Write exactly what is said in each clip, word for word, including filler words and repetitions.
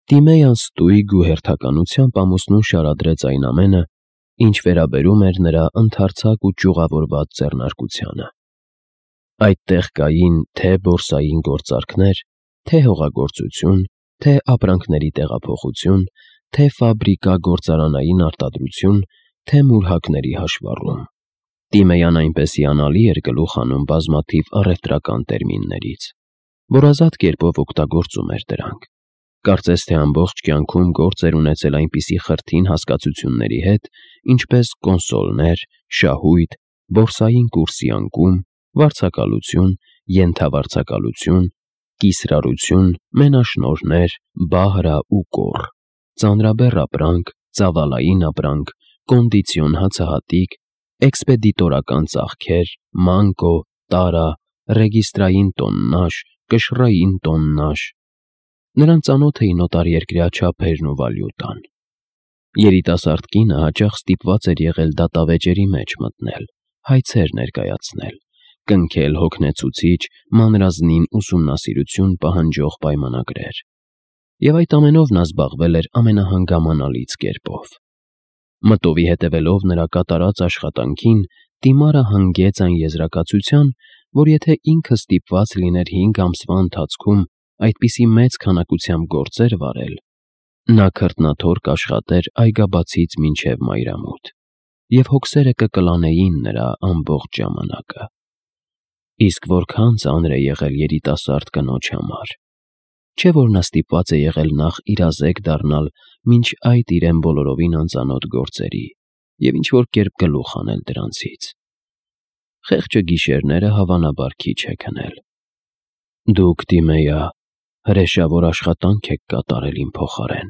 Տիմեյան ստույգ ու հերթականությամբ ամուսնուն շարադրեց այն ամենը, ինչ վերաբերում էր նրա ընդարձակ ու ճյուղավորված ձեռնարկությանը։ Այդտեղ կային թե՛ բորսային գործարքներ, թե՛ հողագործություն, թե՛ ապրանքների տեղափոխություն, թե՛ ֆաբրիկա-գործարանային արտադրություն, թե՛ մուրհակների հաշվառում։ Տիմեյան այնպես հիանալի էր գլուխ հանում բազմաթիվ առևտրական տերմիններից, որ ազատ կերպով օգտագործում էր դրանք, կարծես թե ամբողջ կյանքում գործ էր ունեցել այնպիսի խրթին հասկացությունների հետ, ինչպես կոնսոլներ, շահույթ, բորսային կուրսի անկում, վարձակալություն, ենթավարձակալություն, կիսրարություն, մենաշնորհներ, բահրա ու կոռ, ծանրաբեռ ապրանք, ծավալային ապրանք, կոնդիցիոն հացահատիկ, էքսպեդիտորական ծախքեր, մանկո, տարա, ռեգիստրային տոննաժ, կշռային տոննաժ։ Նրան ծանոթ էին օտարերկրյա չափերն ու վալյուտան։ Երիտասարդ կինը հաճախ ստիպված էր եղել դատավեճերի մեջ մտնել, հայցեր ներկայացնել, կնքել հոգնեցուցիչ, մանրազնին ուսումնասիրություն պահանջող պայմանագրեր։ Եվ այդ ամենով նա զբաղվել էր ամենահանգամանալից կերպով։ Մտովի հետևելով նրա կատարած աշխատանքին, Տիմարը հանգեց այն եզրակացության, որ եթե ինքը ստիպված լիներ հինգ ամսվա ընթացքում այդպիսի մեծ քանակությամբ գործեր վարել, նա քրտնաթոր կաշխատեր այգաբացից մինչև մայրամուտ, և հոգսերը կկլանեին նրա ամբողջ ժամանակը։ Իսկ որքան ծանր է եղել երիտասարդ կնոջ համար։ Չէ՞ որ նա ստիպված է եղել նախ իրազեկ դառնալ մինչ այդ իրեն բոլորովին անծանոթ գործերի և ինչ-որ կերպ գլուխ հանել դրանցից։ Խեղճը գիշերները հավանաբար քիչ է քնել։ Դուք, Տիմեյա, հրեշավոր աշխատանք եք կատարել իմ փոխարեն։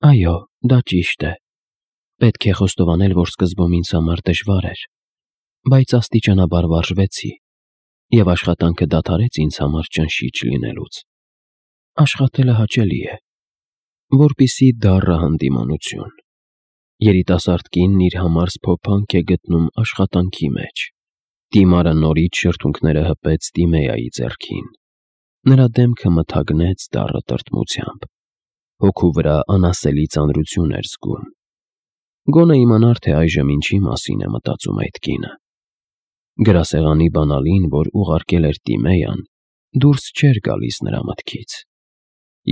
Այո, դա ճիշտ է։ Պետք է խոստովանել, որ սկզբում ինձ համար դժվար էր, բայց աստիճանաբար վարժվեցի, և աշխատանքը դադարեց ինձ համար ճնշիչ լինելուց։ Աշխատելը հաճելի է, որպեսզի դառը հանդիմանություն։ Երիտասարդ կինն իր համար սփոփանք է գտնում աշխատանքի մեջ։ Տիմարը նորից շրթունքները հպեց Տիմեյայի ձեռքին։ Նրա դեմքը մթագնեց դառը տրտմությամբ։ Հոգու վրա անասելի ծանրություն էր զգում։ Գոնե իմանար, թե այժմ ինչի մասին է մտածում այդ կինը։ Գրասեղանի բանալին, որ ուղարկել էր Տիմեյան, դուրս չէր գալիս նրա մտքից։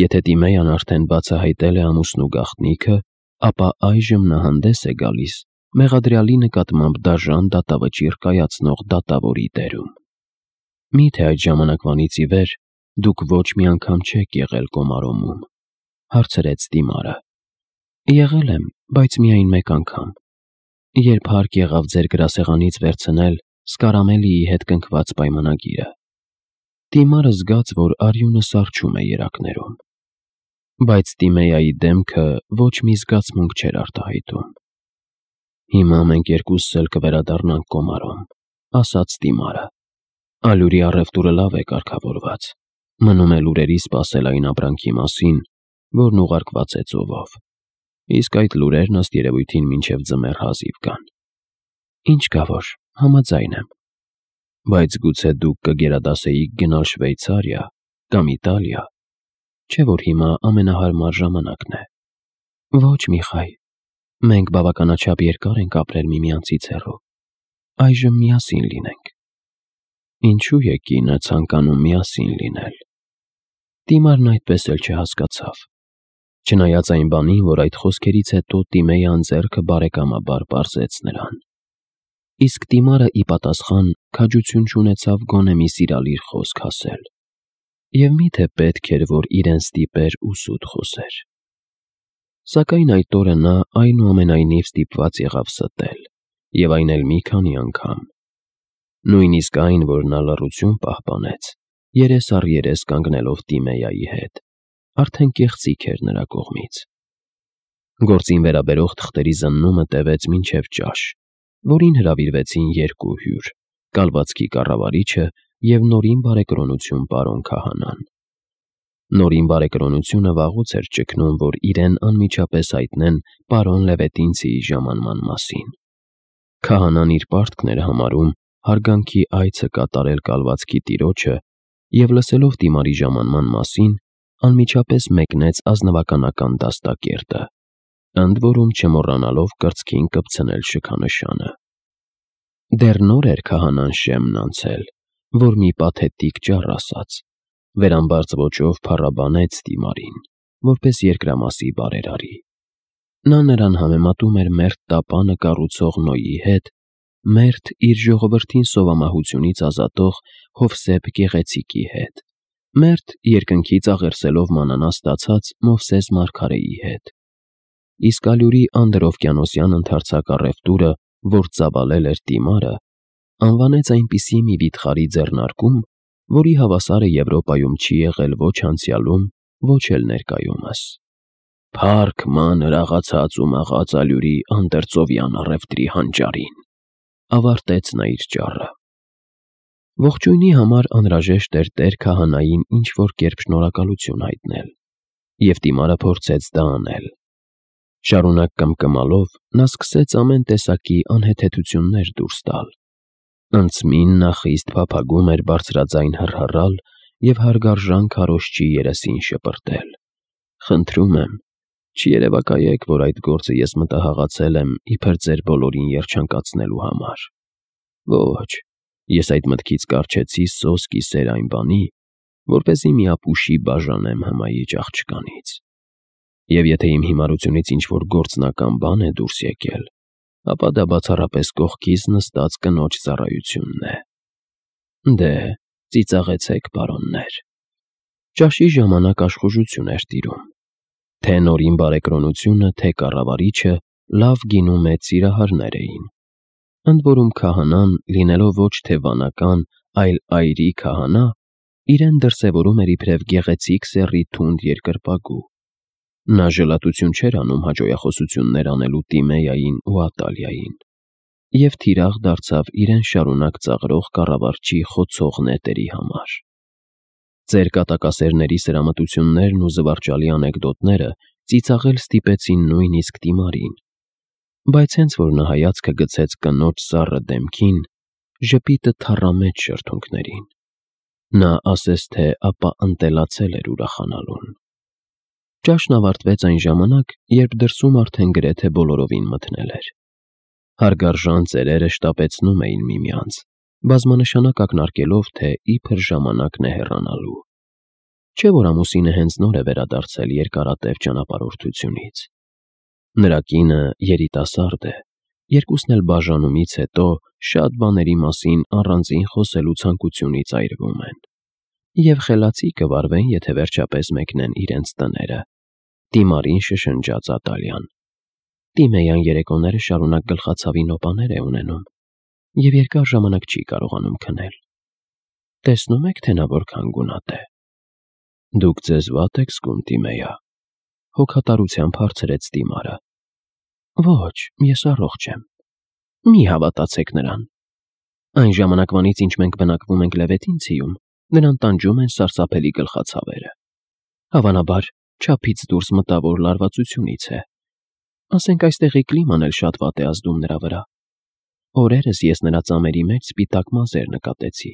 Եթե Տիմեյան արդեն բացահայտել է ամուսնու գաղտնիքը, ապա այժմ նա հանդես է գալիս մեղադրյալի նկատմամբ դաժան դատավճիռ կայացնող դատավորի դերում։ Մի՞թե այդ ժամանակվանից ի վեր դուք ոչ մի անգամ չեք եղել Կոմարոմում, հարցրեց Տիմարը։ Եղել եմ, բայց միայն մեկ անգամ, երբ հարկ եղավ ձեր գրասեղանից վերցնել Սկարամելիի հետ կնքված պայմանագիրը։ Տիմարը զգաց, որ արյունը սառչում է երակներում։ Բայց Տիմեյայի դեմքը ոչ մի զգացմունք չէր արտահայտում։ Հիմա մենք երկուսս էլ կվերադառնանք Կոմարոմ, ասաց Տիմարը։ Ալյուրի առևտուրը լավ է կարգավորված։ Մնում է լուրերի սպասել այն ապրանքի մասին, որն ուղարկված է ծովով։ Իսկ այդ լուրերն ըստ երևույթին մինչև ձմեռ հազիվ կան։ Ինչ կա որ, համաձայն եմ։ Բայց գուցե դուք կգերադասեիք գնալ Շվեյցարիա կամ Իտալիա, չէ՞ որ հիմա ամենահարմար ժամանակն է։ Ոչ, Միխայ, մենք բավականաչափ երկար ենք ապրել միմյանցից հեռու։ Այժմ միասին լինենք։ Ինչու է կինը ցանկանում միասին լինել։ Տիմարն այդպես էլ չհասկացավ։ Չնայած այն բանին, որ այդ խոսքերից հետո Տիմեյան ձեռքը բարեկամաբար պարզեց նրան։ Իսկ Տիմարը ի պատասխան քաջություն չունեցավ գոնե մի սիրալիր խոսք ասել։ Եվ մի՞թե պետք էր, որ իրեն ստիպեր ու սուտ խոսեր։ Սակայն այդ օրը նա այնուամենայնիվ ստիպված եղավ ստել, և այն էլ մի քանի անգամ։ Նույնիսկ այն, որ նա լռություն պահպանեց, երես առ երես կանգնելով Տիմեյայի հետ, արդեն կեղծիք էր նրա կողմից։ Գործին վերաբերող թղթերի զննումը տևեց մինչև ճաշ, որին հրավիրվեցին երկու հյուր՝ կալվածքի կառավարիչը և նորին բարեկրոնություն պարոն քահանան։ Նորին բարեկրոնությունը վաղուց էր ճգնում, որ իրեն անմիջապես հայտնեն պարոն Լևետինցիի ժամանման մասին։ Քահանան իր պարտքն էր համարում հարգանքի այցը կատարել կալվածքի տիրոջը և, լսելով Տիմարի ժամանման մասին, անմիջապես մեկնեց ազնվականական դաստակերտը, ընդ որում չմոռանալով կրծքին կպցնել շքանշանը։ Դեռ նոր էր քահանան շեմն անցել, որ մի պաթետիկ ճառ ասաց, վերամբարձ ոճով փառաբանեց Տիմարին, որպես երկրամասի բարերարի։ Նա նրան համեմատում էր մերթ տապանը կառուցող Նոյի հետ, մերթ իր ժողովրդին սովամահությունից ազատող Հովսեփ Գեղեցիկի հետ, մերթ երկնքից աղերսելով մանանա ստացած Մովսես մարգարեի հետ։ Իսկ Ալյուրի անդրօվկիանոսյան ընդարձակ առևտուրը, որ ծավալել էր Տիմարը, անվանեց այնպիսի մի վիթխարի ձեռնարկում, որի հավասարը Եվրոպայում չի եղել ոչ անցյալում, ոչ էլ ներկայումս։ Փառք մանր աղացած ու մաղած Ալյուրի անդերձովյան առևտրի հանճարին, ավարտեց նա իր ճառը։ Ողջույնի համար անհրաժեշտ էր տեր քահանային ինչ-որ կերպ շնորհակալություն հայտնել, և Տիմարը փորձեց դա անել։ Շարունակ կմկմալով նա սկսեց ամեն տեսակի անհեթեթություններ դուրս տալ։ Անցմին նա խիստ փափագում էր բարձրաձայն հռհռալ և հարգարժան քարոզչի երեսին շպրտել. «Խնդրում եմ, չերևակայեք, որ այդ գործը ես մտահղացել եմ իբր ձեր բոլորին երջանկացնելու համար։ Ոչ, ես այդ մտքից կառչեցի սոս կիսեր այն բանի, որպեսզի մի ապուշի բաժանեմ հմայիչ աղջկանից։ Եվ եթե իմ հիմարությունից ինչ-որ գործնական բան է դուրս եկել, ապա դա բացառապես կողքիս նստած կնոջ ծառայությունն է։ Դե, ծիծաղեցեք, պարոններ»։ Ճաշի ժամանակ աշխուժություն էր տիրում։ Թե նորին բարեկրոնությունը, թե կառավարիչը լավ գինու մեծ սիրահարներ էին։ Ընդ որում քահանան, լինելով ոչ թե վանական, այլ այրի քահանա, իրեն դրսևորում էր իբրև գեղեցիկ սեռի թունդ երկրպագու։ Նա ժլատություն չէր անում հաճոյախոսություններ անելու Տիմեյային ու Ատալիային, և թիրախ դարձավ իրեն շարունակ ծաղրող կառավարչի խոցող նետերի համար։ Ծեր կատակասերների սրամտություններն ու զվարճալի անեկդոտները ծիծաղել ստիպեցին նույնիսկ Տիմարին, բայց հենց որ նա հայացքը գցեց կնոջ սառը դեմքին, ժպիտը թառամեց շրթունքներին։ Նա ասես թե ապա ընտելացել էր ուրախանալուն։ Ճաշն ավարտվեց այն ժամանակ, երբ դրսում արդեն գրեթե բոլորովին մթնել էր։ Հարգարժան ծերերը շտապեցնում էին միմյանց, բազմանշանակ ակնարկելով, թե իբր ժամանակն է հեռանալու։ Չէ՞ որ ամուսինը հենց նոր է վերադարձել երկարատև ճանապարհորդությունից։ Նրա կինը երիտասարդ է, երկուսն էլ բաժանումից հետո շատ բաների մասին առանձին խոսելու ցանկությունից այրվում են, և խելացի կվարվեն, եթե վերջապես մեկնեն իրենց տները։ Տիմարին շշնջաց Ատալիան։ Տիմեյան երեկոները շարունակ գլխացավի նոպաներ է ունենում և երկար ժամանակ չի կարողանում քնել։ Տեսնում եք, թե նա որքան գունատ է։ Դուք ձեզ վատ եք զգում, Տիմեյա, հոգատարությամբ հարցրեց Տիմարը։ Ոչ, ես առողջ եմ։ Մի հավատացեք նրան։ Այն ժամանակվանից, ինչ մենք բնակվում ենք Լևետինցիում, նրան տանջում են սարսափելի գլխացավերը։ Հավանաբար, չափից դուրս մտավոր լարվածությունից է։ Ասենք այստեղի կլիման էլ շատ վատ է ազդում նրա վրա։ Օրերս ես նրա ծամերի մեջ սպիտակ մազեր նկատեցի,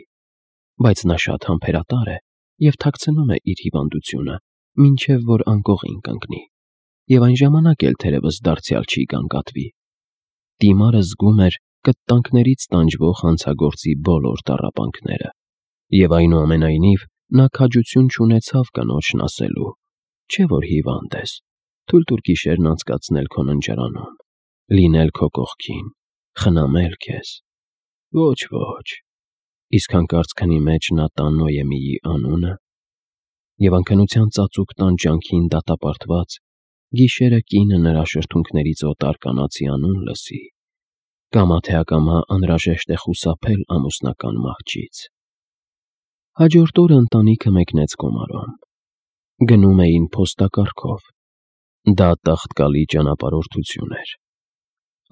բայց նա շատ համբերատար է և թաքցնում է իր հիվանդությունը, մինչև որ անկողին կընկնի, և այն ժամանակ էլ թերևս դարձյալ չի գանգատվի։ Տիմարը զգում էր կտտանքներից տանջվող հանցագործի բոլոր տառապանքները, և այնուամենայնիվ նա քաջություն չունեցավ կնոջն ասելու. չէ՞ որ հիվանդ ես, թույլ տուր գիշերն անցկացնել քո ննջարանում, լինել քո կողքին, խնամել քեզ։ Ոչ, ոչ։ Իսկ հանկարծ քնի մեջ նա տա Նոյեմիի անունը, և անքնության ծածուկ տան ջանքին դատապարտված գիշերը կինը նրա շրթունքներից օտար կանացի անուն լսի, կամա թե ակամա անհրաժեշտ է խուսափել ամուսնական մահճից։ Հաջորդ օրը ընտանիքը մեկնեց Կոմարոմ։ Գնում էին փոստակառքով։ Դա տաղտկալի ճանապարհորդություն էր։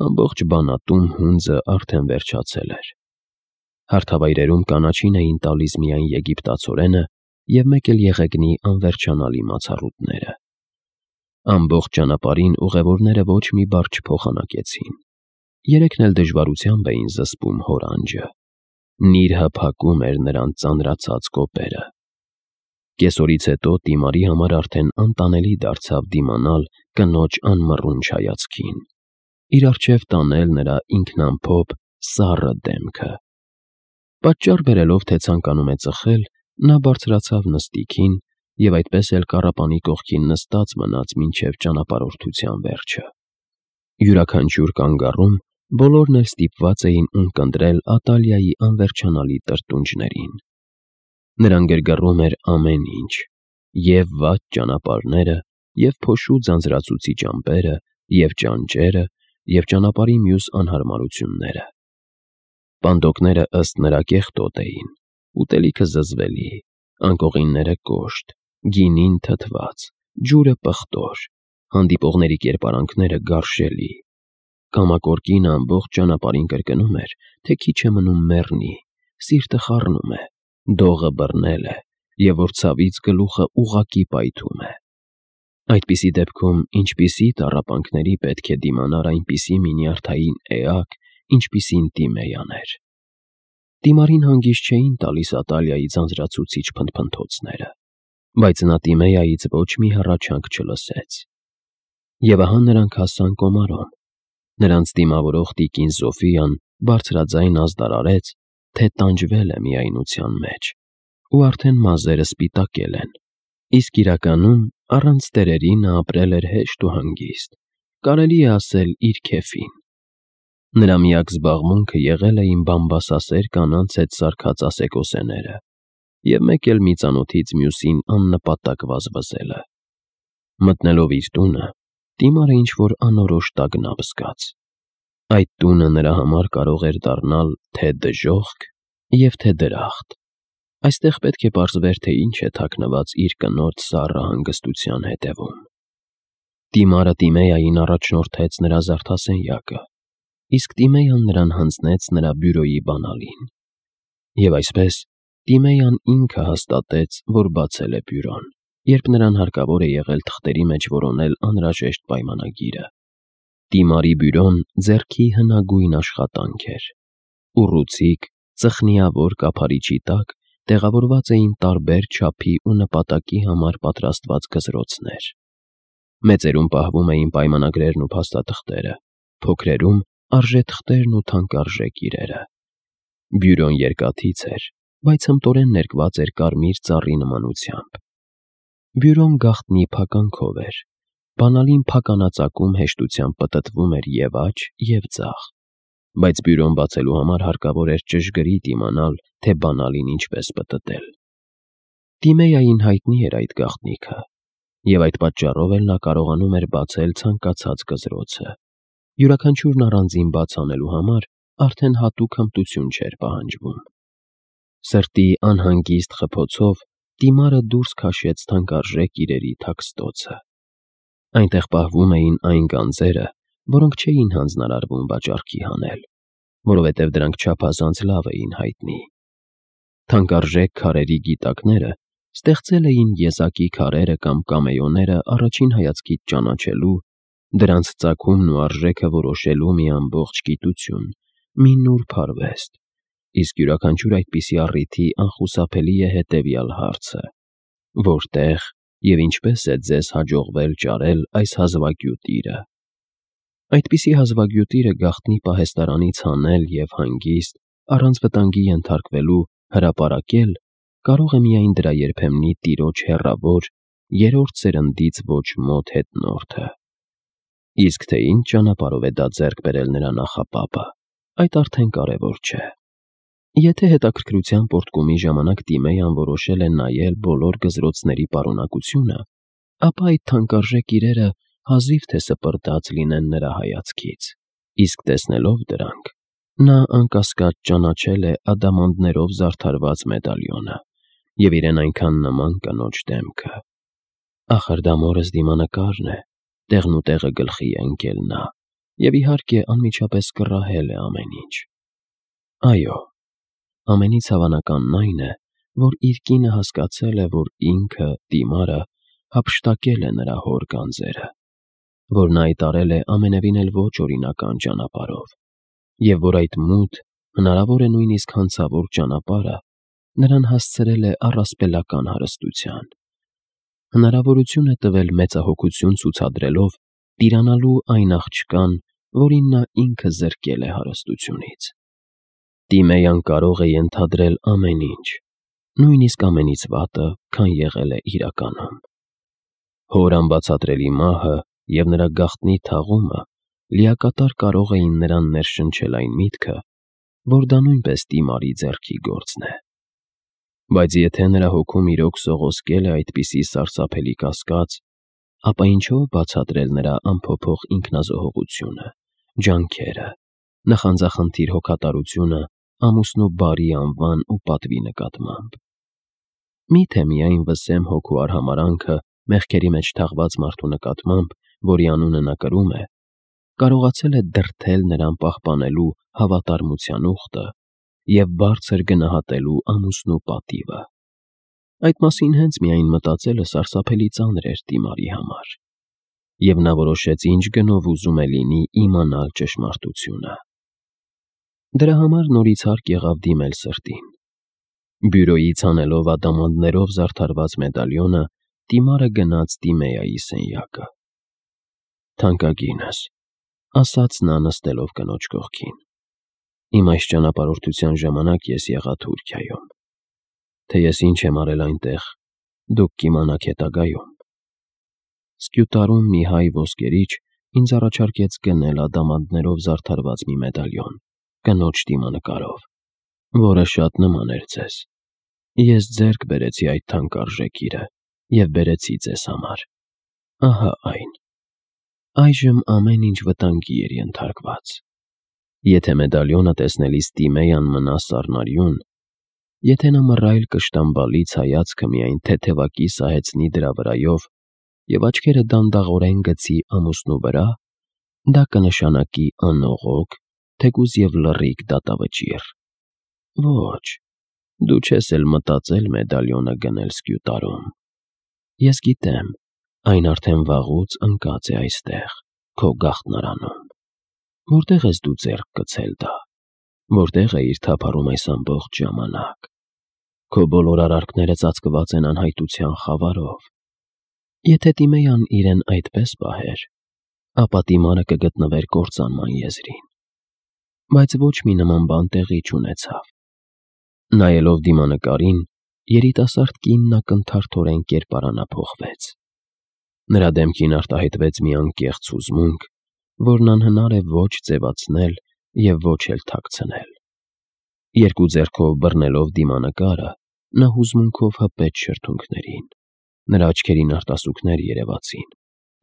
Ամբողջ բանատում հունձը արդեն վերջացել էր։ Հարթավայրերում կանաչին էին տալիս միայն եգիպտացորենը և մեկ էլ եղեգնի անվերջանալի մացառուտները։ Ամբողջ ճանապարհին ուղևորները ոչ մի բառ չփոխանակեցին։ Երեքն էլ դժվարությամբ էին զսպում հոր անջը։ Նիրհը փակում էր նրանց ծանրացած կոպերը։ Կեսօրից հետո Տիմարի համար արդեն անտանելի դարձավ դիմանալ կնոջ անմռունչ հայացքին, իր առջև տանել նրա ինքնամփոփ սառը դեմքը։ Պատճառ բերելով, թե ցանկանում է ծխել, նա բարձրացավ նստիքին և այդպես էլ կառապանի կողքին նստած մնաց մինչև ճանապարհորդության վերջը։ Յուրաքանչյուր կանգառում բոլորն էլ ստիպված էին ունկնդրել Ատալիայի անվերջանալի տրտունջներին։ Նրան գրգռում էր ամեն ինչ՝ և վատ ճանապարհները, և փոշու ձանձրացուցիչ ամպերը, և ճանճերը, և ճանապարհի մյուս անհարմարությունները։ Պանդոկները ըստ նրա կեղտոտ էին, ուտելիքը զզվելի, անկողինները կոշտ, գինին թթված, ջուրը պղտոր, հանդիպողների կերպարանքները գարշելի։ Կամակոր կինը ամբողջ ճանապարհին կրկնում էր, թե քիչ է մնում մեռնի, սիրտը խառնում է, դողը բռնել է, և որ ցավից գլուխը ուղղակի պայթում է։ Այդպիսի դեպքում ինչպիսի տառապանքների պետք է դիմանար այնպիսի մի նյարդային էակ, ինչպիսին Տիմեյան էր։ Տիմարին հանգիստ չէին տալիս Ատալիայի ձանձրացուցիչ փնթփնթոցները, բայց նա Տիմեյայից ոչ մի հառաչանք չլսեց։ Եվ ահա նրանք հասան Կոմարոն։ Նրանց դիմավորող տիկին Սոֆիան բարձրաձայն ազդարարեց, թե տանջվել է միայնության մեջ, ու արդեն մազերը սպիտակել են, իսկ իրականում առանց տերերի նա ապրել էր հեշտ ու հանգիստ, կարելի է ասել իր քեֆին։ Նրա միակ զբաղմունքը եղել էին բամբասասեր կանանց հետ սարքած ասեկոսեները և մեկ էլ մի ծանոթից մյուսին աննպատակ վազվզելը։ Մտնելով իր տունը, Տիմարը ինչ-որ անորոշ տագնապ զգաց։ Այդ տունը նրա համար կարող էր դառնալ թե դժոխք և թե դրախտ։ Այստեղ պետք է պարզվեր, թե ինչ է թաքնված իր կնոջ սառը հանգստության հետևում։ Տիմարը Տիմեյային առաջնորդեց նրա զարդասենյակը, իսկ Տիմեյան նրան հանձնեց նրա բյուրոյի բանալին։ Եվ այսպես Տիմեյան ինքը հաստատեց, որ բացել է բյուրոն, երբ նրան հարկավոր է եղել թղթերի մեջ որոնել անհրաժեշտ պայմանագիրը։ Տիմարի բյուրոն ձեռքի հնագույն աշխատանք էր։ Ուռուցիկ, ծխնիավոր կափարիչի տակ տեղավորված էին տարբեր չափի ու նպատակի համար պատրաստված գզրոցներ։ Մեծերում պահվում էին պայմանագրերն ու փաստաթղթերը, փոքրերում՝ արժեթղթերն ու թանկարժեք իրերը։ Բյուրոն երկաթից էր, բայց հմտորեն ներկված էր կարմիր ծառի նմանությամբ։ Բյուրոն գաղտնի փականքով էր, բանալին փականածակում հեշտությամբ պտտվում էր և աջ, և ձախ, բայց բյուրոն բացելու համար հարկավոր էր ճշգրիտ իմանալ, թե բանալին ինչպես պտտել։ Տիմեյային հայտնի էր այդ գաղտնիքը, և այդ պատճառով էլ նա կարողանում էր բացել ցանկացած գզրոցը։ Յուրաքանչյուրն առանձին բաց անելու համար արդեն հատուկ հմտություն չէր պահանջվում։ Սրտի անհանգիստ խփոցով Տիմարը դուրս քաշեց թանկարժեք իրերի թաքստոցը։ Այնտեղ պահվում էին այն գանձերը, որոնք չէին հանձնարարվում վաճառքի հանել, որովհետև դրանք չափազանց լավ էին հայտնի։ Թանկարժեք քարերի գիտակները ստեղծել էին եզակի քարերը կամ կամեոները առաջին հայացքից ճանաչելու, դրանց ծագումն ու արժեքը որոշելու մի ամբողջ գիտություն, մի նուրբ արվեստ, իսկ յուրաքանչյուր այդպիսի առիթի անխուսափելի է հետևյալ հարցը. որտե՞ղ և ինչպե՞ս է ձեզ հաջողվել ճարել այս հազվագյուտ իրը։ Այդպիսի հազվագյուտ իրը գաղտնի պահեստարանից հանել և հանգիստ, առանց վտանգի ենթարկվելու, հրապարակել կարող է միայն դրա երբեմնի տիրոջ հեռավոր, երրորդ սերնդից ոչ մոտ հետնորդը։ Իսկ թե ինչ ճանապարհով է դա ձեռք բերել նրա նախապապը, այդ արդեն կարևոր չէ։ Եթե հետաքրքրության պոռթկումի ժամանակ Տիմեյան որոշել է նայել բոլոր գզրոցների պարունակությունը, ապա այդ թանկարժեք իրերը հազիվ թե սպրտած լինեն նրա հայացքից, իսկ տեսնելով դրանք, նա անկասկած ճանաչել է ադամանդներով զարդարված մեդալիոնը և իրեն այնքան նման կնոջ դեմքը։ Ախր դա մորս դիմանկարն է, տեղնուտեղը գլխի է ընկել նա, և իհարկե անմիջապես կռահել է ամեն ինչ։ Այո, ամենից հավանականն այն է, որ իր կինը հասկացել է, որ ինքը՝ Տիմարը, հափշտակել է նրա հոր գանձերը, որ նա այդ արել է ամենևին էլ ոչ օրինական ճանապարհով, և որ այդ մութ, հնարավոր է նույնիսկ հանցավոր ճանապարհը նրան հասցրել է առասպելական հարստության։ Հնարավորություն է տվել մեծահոգություն ցուցադրելով տիրանալու այն աղջկան, որին նա ինքը զրկել է հարստությունից։ Տիմեյան կարող է ենթադրել ամեն ինչ, նույնիսկ ամենից վատը, քան եղել է իրականում։ Հոր անբացատրելի մահը և նրա գաղտնի թաղումը լիակատար կարող էին նրան ներշնչել այն միտքը, որ դա նույնպես Տիմարի ձեռքի գործն է։ Բայց եթե նրա հոգում իրոք սողոսկել է այդպիսի սարսափելի կասկած, ապա ինչո՞վ բացատրել նրա անփոփոխ ինքնազոհողությունը, ջանքերը, նախանձախնդիր հոգատարությունը ամուսնու բարի անվան ու պատվի նկատմամբ։ Մի՞թե միայն վսեմ հոգու արհամարհանքը մեղքերի մեջ թաղված մարդու նկատմամբ, որի անունը նա կրում է, կարողացել է դրդել նրան պահպանելու հավատարմության ուխտը և բարձր գնահատելու ամուսնու պատիվը։ Այդ մասին հենց միայն մտածելը սարսափելի ծանր էր Տիմարի համար, և նա որոշեց ինչ գնով ուզում է լինի իմանալ ճշմարտությունը։ Դրա համար նորից հարկ եղավ դիմել սրտին։ Բյուրոյից անելով ադամանդներով զարդարված մեդալյոնը, Տիմարը գնաց Տիմեայի սենյակը։ «Թանկագինս», ասաց նա նստելով կնոջ կողքին, «իմ այս ճանապարհորդության ժամանակ ես եղա Թուրքիայում։ Թե ես ինչ եմ արել այնտեղ, դուք կիմանաք հետագայում։ Սկյուտարում մի հայ ոսկերիչ ինձ առաջարկեց գնել ադամանդներով զարդարված մի մեդալյոն, կնոջ դիմանկարով, որը շատ նման էր ձեզ։ Ես ձեռք բերեցի այդ թանկարժեք իրը և բերեցի ձեզ համար։ Ահա այն։ Այժմ ամեն ինչ վտանգի էր ենթարկված։ Եթե մեդալյոնը տեսնելիս Տիմեյան մնա սառնարյուն, եթե նա մռայլ կշտամբալից հայացքը միայն թեթևակի սահեցնի դրա վրայով և աչքերը դանդաղորեն գցի ամուսնու վրա, դա կնշանակի անողոք, թեկուզ և լռիկ դատավճիռ։ Ոչ, դու չես էլ մտածել մեդալյոնը գնել Սկյուտարում։ Ես գիտեմ, այն արդեն վաղուց ընկած է այստեղ, քո գաղտնարանում։ Որտե՞ղ ես դու ձեռք գցել դա, որտե՞ղ էիր թափառում այս ամբողջ ժամանակ։ Քո բոլոր արարքները ծածկված են անհայտության խավարով։ Եթե Տիմեյան իրեն այդպես պահեր, ապա Տիմարը կգտնվեր կործանման եզրին։ Բայց ոչ մի նման բան տեղի չունեցավ։ Նայելով դիմանկարին, երիտասարդ կինն ակնթարթորեն կերպարանափոխվեց։ Նրա դեմքին արտահայտվեց մի անկեղծ հուզմունք, որն անհնար է ոչ ձևացնել և ոչ էլ թաքցնել։ Երկու ձեռքով բռնելով դիմանկարը, նա հուզմունքով հպեց շրթունքներին։ Նրա աչքերին արտասուքներ երևացին,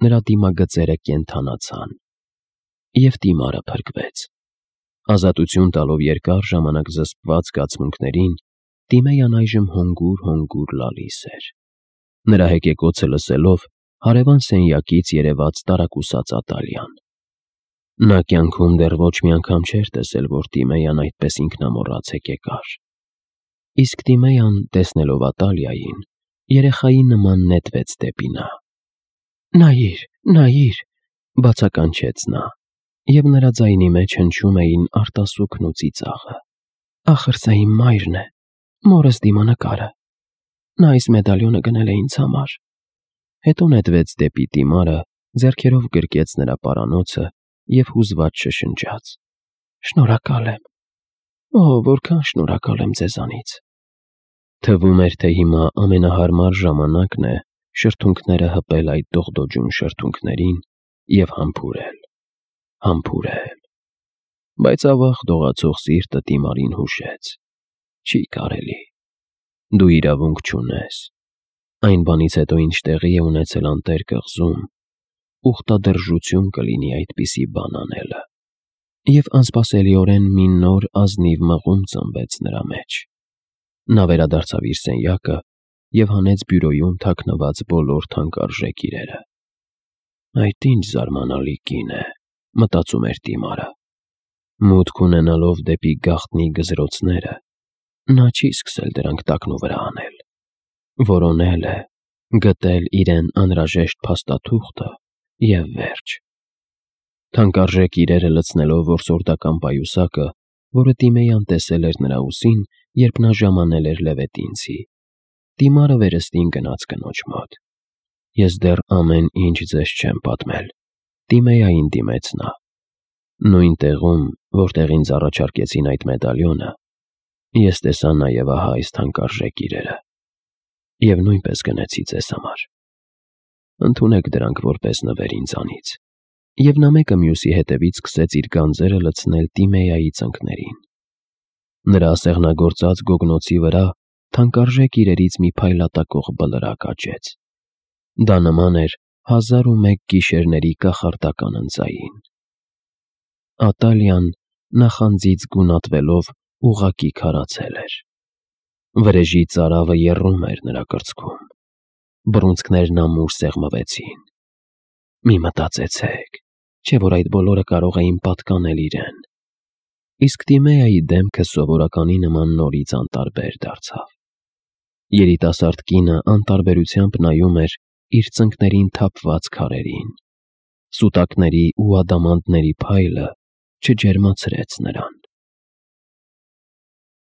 նրա դիմագծերը կենդանացան։ Եվ Տիմարը փրկվեց։ Ազատություն տալով երկար ժամանակ զսպված զգացմունքներին, Տիմեյան այժմ հանգուր-հանգուր լալիս էր։ Նրա հեկեկոցը լսելով, հարևան սենյակից երևաց տարակուսած Ատալիան։ Նա կյանքում դեռ ոչ մի անգամ չէր տեսել, որ Տիմեյան այդպես ինքնամոռաց հեկեկար։ Իսկ Տիմեյան, տեսնելով Ատալիային, երեխայի նման նետվեց դեպի նա։ «Նայիր, նայիր», բացականչեց նա, և նրա ձայնի մեջ հնչում էին արտասուքն ու ծիծաղը։ «Ախր սա իմ մայրն է, մորս դիմանկարը։ Նա այս մեդալյոնը գնել է ինձ համար»։ Հետո նետվեց դեպի Տիմարը, ձեռքերով գրկեց նրա պարանոցը և հուզված շշնջաց. «Շնորհակալ եմ, օ, որքան շնորհակալ եմ ձեզանից»։ Թվում էր, թե հիմա ամենահարմար ժամանակն է շրթունքները հպել այդ դողդոջուն շրթունքներին և համբուրել, համբուրել։ Բայց ավաղ դողացող սիրտը Տիմարին հուշեց. «Չի կարելի, դու իրավունք չունես։ Այն բանից հետո, ինչ տեղի է ունեցել անտեր կղզում, ուխտադրժություն կլինի այդպիսի բան անելը»։ Եվ անսպասելիորեն մի նոր ազնիվ մղում ծնվեց նրա մեջ։ Նա վերադարձավ իր սենյակը և հանեց բյուրոյում թաքնված բոլոր թանկարժեք իրերը։ «Այդ ինչ զարմանալի կին է», մտածում էր Տիմարը։ Մուտք ունենալով դեպի գաղտնի գզրոցները, նա չի սկսել դրանք տակնուվրա անել։ Որոնել է, գտել իրեն անհրաժեշտ փաստաթուղթը և վերջ։ Թանկարժեք իրերը լցնելով որսորդական պայուսակը, որը Տիմեյան տեսել էր նրա ուսին երբ նա ժամանել էր Լևետինցի, դիմարը վերստին գնաց կնոջ մոտ։ Ես դեռ ամեն ինչ ձեզ չեմ պատմել, Տիմեային դիմեց նա։ Նույն տեղում, որտեղ ինձ առաջարկեցին այդ մեդալյոնը, ես տեսա նաև ահա այս թանկարժեք իրերը, և նույնպես գնեցի ձեզ համար։ Ընդունեք դրանք որպես նվեր ինձանից։ Եվ նա մեկը մյուսի հետևից սկսեց իր գանձերը լցնել Տիմեայի ծնկներին։ Նրա սեղնագործած գոգնոցի վրա թանկարժեք իրերից մի փայլատակող բլրակ աճեց։ Դա նման էր հազար ու մեկ գիշերների կախարդական ընձային։ Ատալիան նախանձից գունատվելով ուղղակի քարացել էր։ Վրեժի ծարավը եռում էր նրա կրծքում։ Բռունցքներն ամուր սեղմվեցին։ Մի մտածեցեք, չէ՞ որ այդ բոլորը կարող էին պատկանել իրեն։ Իսկ Տիմեայի դեմքը սովորականի նման նորից անտարբեր դարձավ։ Երիտասարդ կինը անտարբերությամբ նայում էր իր ծնկներին թափված քարերին։ Սուտակների ու ադամանդների փայլը չջերմացրեց նրան։